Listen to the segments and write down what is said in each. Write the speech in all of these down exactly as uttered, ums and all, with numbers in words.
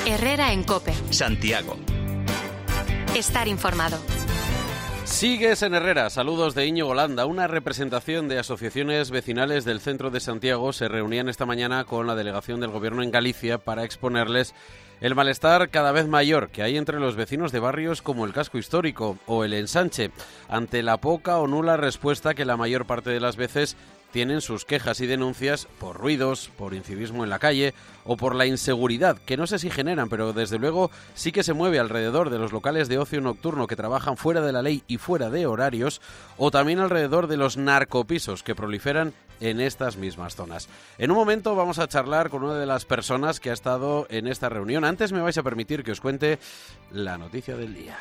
Herrera en COPE. Santiago. Estar informado. Sigues en Herrera. Saludos de Íñigo Landa. Una representación de asociaciones vecinales del centro de Santiago se reunían esta mañana con la delegación del Gobierno en Galicia para exponerles el malestar cada vez mayor que hay entre los vecinos de barrios como el Casco Histórico o el Ensanche, ante la poca o nula respuesta que la mayor parte de las veces tienen sus quejas y denuncias por ruidos, por incivismo en la calle o por la inseguridad, que no sé si generan, pero desde luego sí que se mueve alrededor de los locales de ocio nocturno que trabajan fuera de la ley y fuera de horarios, o también alrededor de los narcopisos que proliferan en estas mismas zonas. En un momento vamos a charlar con una de las personas que ha estado en esta reunión. Antes me vais a permitir que os cuente la noticia del día.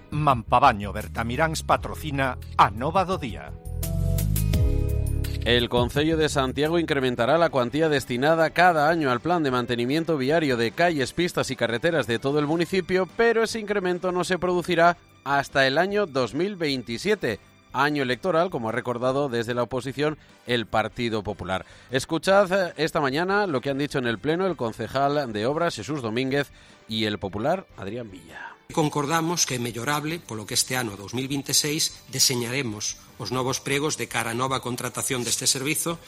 Mampabaño Bertamiráns patrocina a Nova do Día. El Concello de Santiago incrementará la cuantía destinada cada año al plan de mantenimiento viario de calles, pistas y carreteras de todo el municipio, pero ese incremento no se producirá hasta el año dos mil veintisiete, año electoral, como ha recordado desde la oposición el Partido Popular. Escuchad esta mañana lo que han dicho en el Pleno el concejal de Obras, Jesús Domínguez, y el popular, Adrián Villa. Concordamos que é mellorable, polo que este ano dos mil veintiséis deseñaremos os novos pregos de cara a nova contratación deste servizo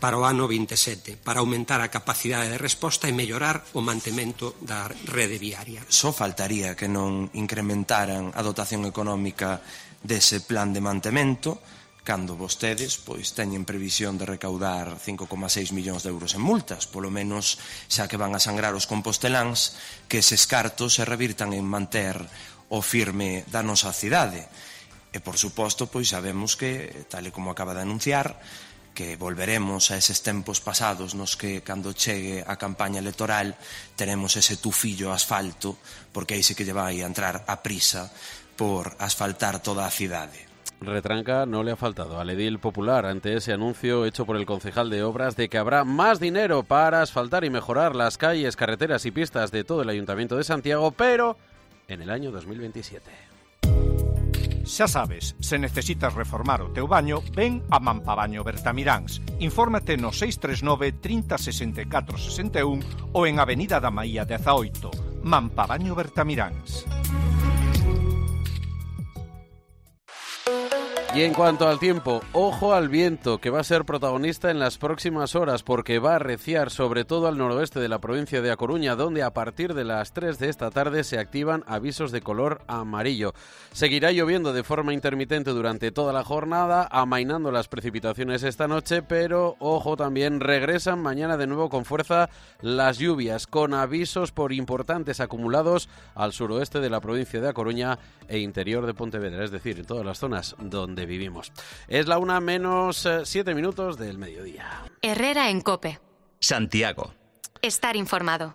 para o ano veintisiete, para aumentar a capacidade de resposta e mellorar o mantemento da rede viaria. Só faltaría que non incrementaran a dotación económica dese plan de mantemento, cando vostedes pois teñen previsión de recaudar cinco coma seis millóns de euros en multas, polo menos xa que van a sangrar os composteláns, que eses cartos se revirtan en manter o firme da nosa cidade. E, por suposto, pois sabemos que, tal e como acaba de anunciar, que volveremos a eses tempos pasados nos que, cando chegue a campaña electoral, teremos ese tufillo asfalto, porque aí sí que lle vai a entrar a prisa por asfaltar toda a cidade. Retranca no le ha faltado al edil popular ante ese anuncio hecho por el concejal de Obras de que habrá más dinero para asfaltar y mejorar las calles, carreteras y pistas de todo el Ayuntamiento de Santiago, pero en el año dos mil veintisiete. Xa sabes, se necesitas reformar o teu baño, ven a Mampabaño Bertamiráns. Infórmate no seis tres nove, trinta, sesenta e catro, sesenta e un ou en Avenida da Maía dezaoito. Mampabaño Bertamiráns. Y en cuanto al tiempo, ojo al viento, que va a ser protagonista en las próximas horas porque va a arreciar sobre todo al noroeste de la provincia de A Coruña, donde a partir de las tres de esta tarde se activan avisos de color amarillo. Seguirá lloviendo de forma intermitente durante toda la jornada, amainando las precipitaciones esta noche, pero ojo también, regresan mañana de nuevo con fuerza las lluvias, con avisos por importantes acumulados al suroeste de la provincia de A Coruña e interior de Pontevedra, es decir, en todas las zonas donde vivimos. Es la una menos eh, siete minutos del mediodía. Herrera en COPE. Santiago. Estar informado.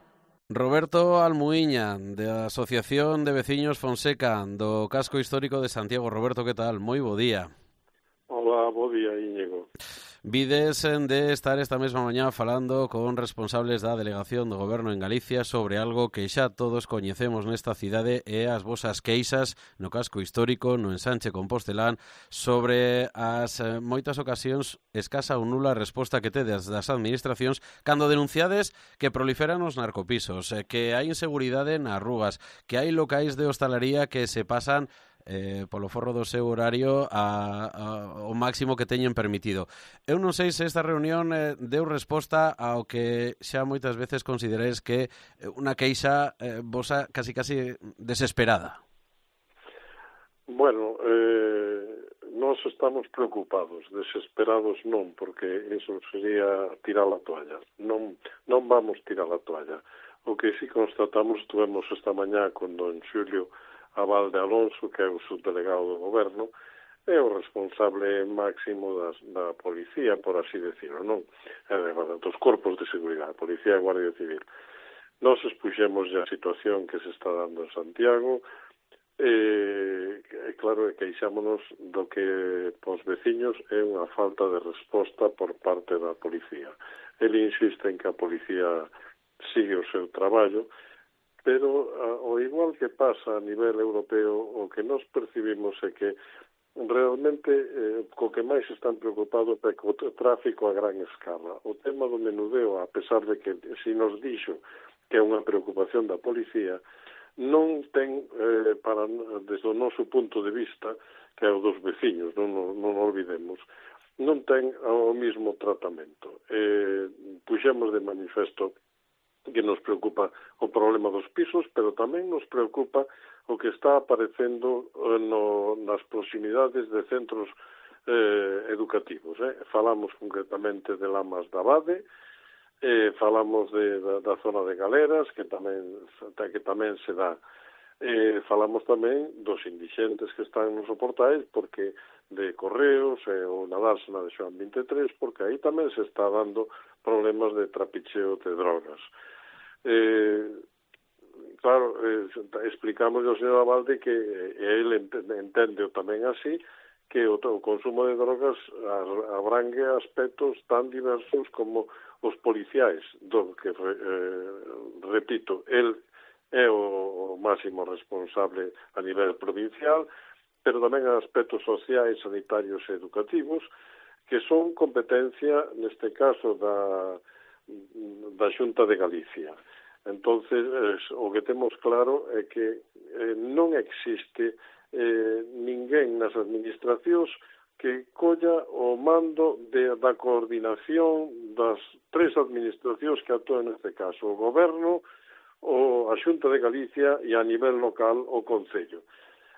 Roberto Almuiña, de Asociación de Veciños Fonseca, do Casco Histórico de Santiago. Roberto, que tal? Moi bo día. Hola, bo día, Íñigo. Vides de estar esta mesma mañá falando con responsables da Delegación do Goberno en Galicia sobre algo que xa todos coñecemos nesta cidade e as vosas queixas no Casco Histórico, no Ensanche Compostelán, sobre as eh, moitas ocasións escasa ou nula resposta que tedes das administracións cando denunciades que proliferan os narcopisos, eh, que hai inseguridade nas rúas, que hai locais de hostalería que se pasan Eh, polo forro do seu horario a, a, o máximo que teñen permitido. Eu non sei se esta reunión eh, deu resposta ao que xa moitas veces considerais que unha queixa eh, vosa casi casi desesperada. Bueno, eh, nós estamos preocupados, desesperados non, porque eso sería tirar a toalla. Non, non vamos tirar a toalla. O que sí constatamos, tuvemos esta mañá con don Xulio Abal de Alonso, que é o subdelegado do goberno, é o responsable máximo das, da policía, por así decirlo, non? É, bueno, dos corpos de seguridade, policía e guardia civil. Nos expuxemos a situación que se está dando en Santiago, e, e claro, queixámonos do que pos veciños é unha falta de resposta por parte da policía. Ele insiste en que a policía sigue o seu traballo, pero ao igual que pasa a nivel europeo, o que nos percibimos é que realmente eh, co que máis están preocupados é co tráfico a gran escala. O tema do menudeo, a pesar de que si nos dixo que é unha preocupación da policía, non ten, eh, para, desde o noso punto de vista, que é o dos veciños, non, non, non olvidemos, non ten o mesmo tratamento. Eh, puxemos de manifesto que nos preocupa o problema dos pisos, pero tamén nos preocupa o que está aparecendo no, nas proximidades de centros eh, educativos. Eh. Falamos concretamente de Lamas da Abade, eh, falamos de, da, da zona de Galeras, que tamén, que tamén se dá. Eh, falamos tamén dos indixentes que están nos portais, porque de Correos e eh, o na dársena de Xoán vinte e tres, porque aí tamén se está dando problemas de trapicheo de drogas. Eh, claro, eh, explicamos ao señor Abalde que eh, ele entende tamén así, que o, o consumo de drogas abrangue aspectos tan diversos como os policiais, do que, eh, repito, el é o, o máximo responsable a nivel provincial, pero tamén aspectos sociais, sanitarios e educativos, que son competencia, neste caso, da, da Xunta de Galicia. Entonces, eh, o que temos claro é que eh, non existe eh, ninguén nas administracións que colla o mando de, da coordinación das tres administracións que actúan neste caso, o Goberno, o a Xunta de Galicia e a nivel local o Concello.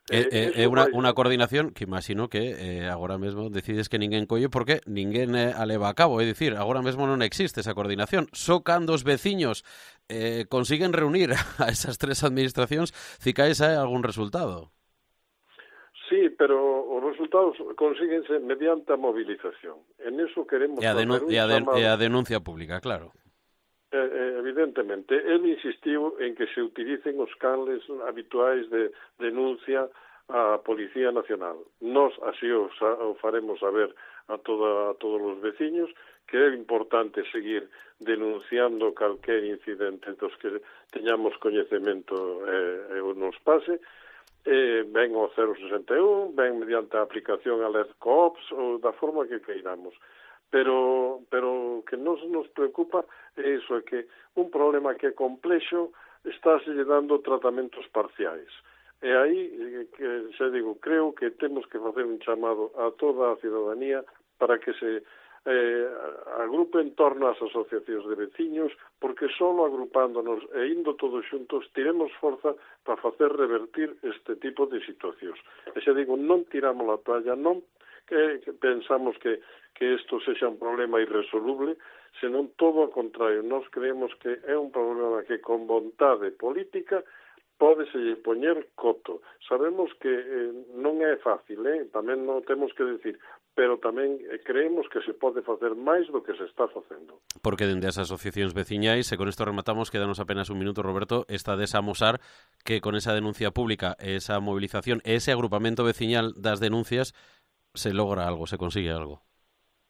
É eh, eh, eh, unha, unha coordinación que imagino que eh, agora mesmo decides que ninguén colle porque ninguén eh, a leva a cabo, é dicir, agora mesmo non existe esa coordinación. Só cando os veciños eh, consiguen reunir a esas tres administracións, cicais hai algún resultado. Sí, pero os resultados consíguense mediante a movilización. En eso queremos e a, facer un e a, chamado. E a denuncia pública, claro. Eh, evidentemente, el insistiu en que se utilicen os canles habituais de denuncia á Policía Nacional. Nos así o, o faremos saber a, toda, a todos os veciños que é importante seguir denunciando calquer incidente dos que teñamos coñecemento e eh, nos pase. Eh, ven o cero sesenta e un, ven mediante a aplicación Alert Coops ou da forma que queiramos. Pero pero que nos nos preocupa é iso, é que un problema que é complexo está se dando tratamentos parciais. E aí, que xa digo, creo que temos que facer un chamado a toda a cidadanía para que se eh, agrupe en torno ás asociacións de veciños, porque só agrupándonos e indo todos xuntos tiremos forza para facer revertir este tipo de situacións. E xa digo, non tiramos a toalla, non que, que pensamos que que isto sexa un problema irresoluble, senón todo o contrario. Nós creemos que é un problema que con vontade política pódese poñer coto. Sabemos que eh, non é fácil, eh? tamén non temos que decir, pero tamén eh, creemos que se pode facer máis do que se está facendo. Porque dende as asociacións veciñais, e con isto rematamos, quedanos apenas un minuto, Roberto, está de amosar que con esa denuncia pública, esa movilización, ese agrupamento veciñal das denuncias, se logra algo, se consigue algo.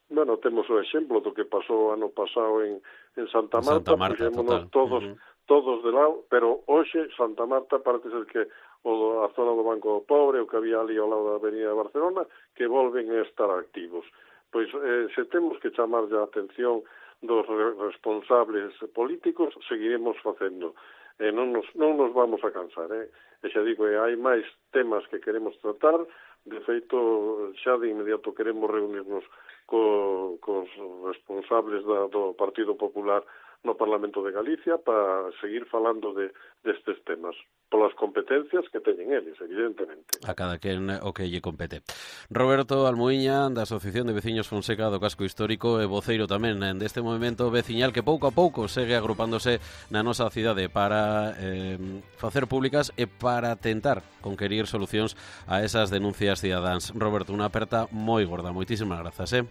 Bueno, temos o exemplo do que pasou ano pasado en, en Santa Marta, Santa Marta puxémonos todos, uh-huh. todos de lado, pero hoxe Santa Marta parece ser que o, a zona do Banco do Pobre, o que había ali ao lado da Avenida de Barcelona, que volven a estar activos. Pois eh, se temos que chamar a atención dos responsables políticos, seguiremos facendo. Eh, non, nos, non nos vamos a cansar, eh? E xa digo, eh, hai máis temas que queremos tratar. De feito, xa de inmediato queremos reunirnos co, cos responsables da, do Partido Popular no Parlamento de Galicia para seguir falando de destes temas, polas competencias que teñen eles, evidentemente. A cada quen o que lle compete. Roberto Almuíña, da Asociación de Veciños Fonseca do Casco Histórico e voceiro tamén deste movimento veciñal que pouco a pouco segue agrupándose na nosa cidade para eh, facer públicas e para tentar conquerir solucións a esas denuncias cidadáns. Roberto, unha aperta moi gorda. Moitísimas grazas, eh?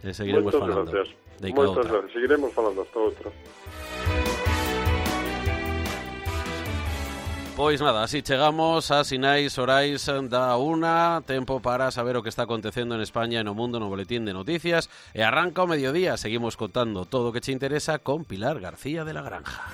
E seguiremos Moitas falando. Gracias. Moitas gracias. Seguiremos falando hasta outra. Pois nada, así chegamos a sinais orais da una, tempo para saber o que está acontecendo en España e no mundo no boletín de noticias, e arranca o mediodía, seguimos contando todo o que che interesa con Pilar García de la Granja.